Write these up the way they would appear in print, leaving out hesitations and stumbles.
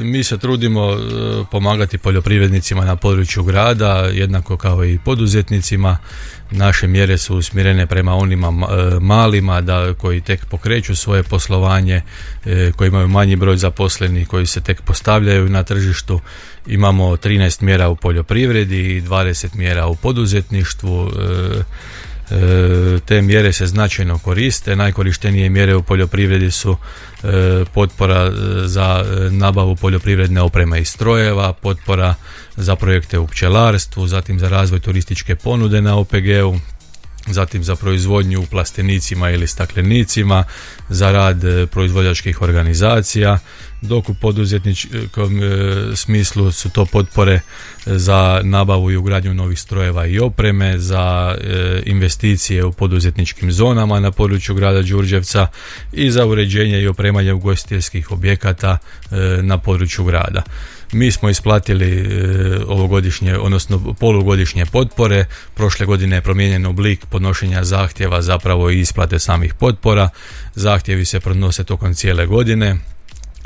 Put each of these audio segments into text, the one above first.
Mi se trudimo pomagati poljoprivrednicima na području grada, jednako kao i poduzetnicima. Naše mjere su usmjerene prema onima malima koji tek pokreću svoje poslovanje, koji imaju manji broj zaposlenih, koji se tek postavljaju na tržištu. Imamo 13 mjera u poljoprivredi i 20 mjera u poduzetništvu. Te mjere se značajno koriste. Najkorištenije mjere u poljoprivredi su potpora za nabavu poljoprivredne opreme i strojeva, potpora za projekte u pčelarstvu, zatim za razvoj turističke ponude na OPG-u, zatim za proizvodnju u plastenicima ili staklenicima, za rad proizvođačkih organizacija, dok u poduzetničkom smislu su to potpore za nabavu i ugradnju novih strojeva i opreme, za investicije u poduzetničkim zonama na području grada Đurđevca i za uređenje i opremanje ugostiteljskih objekata na području grada. Mi smo isplatili ovogodišnje, odnosno polugodišnje potpore. Prošle godine je promijenjen oblik podnošenja zahtjeva, zapravo i isplate samih potpora. Zahtjevi se podnose tokom cijele godine,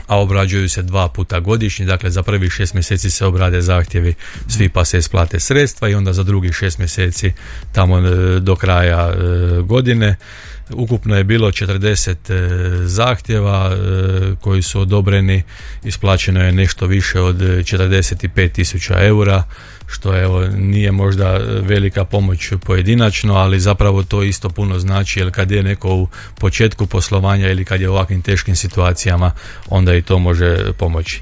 a obrađuju se 2 puta godišnje. Dakle, za prvih 6 mjeseci se obrade zahtjevi svi, pa se isplate sredstva, i onda za drugih 6 mjeseci tamo do kraja godine. Ukupno je bilo 40 zahtjeva koji su odobreni, isplaćeno je nešto više od 45.000 eura, što nije možda velika pomoć pojedinačno, ali zapravo to isto puno znači, jer kad je neko u početku poslovanja ili kad je u ovakvim teškim situacijama, onda i to može pomoći.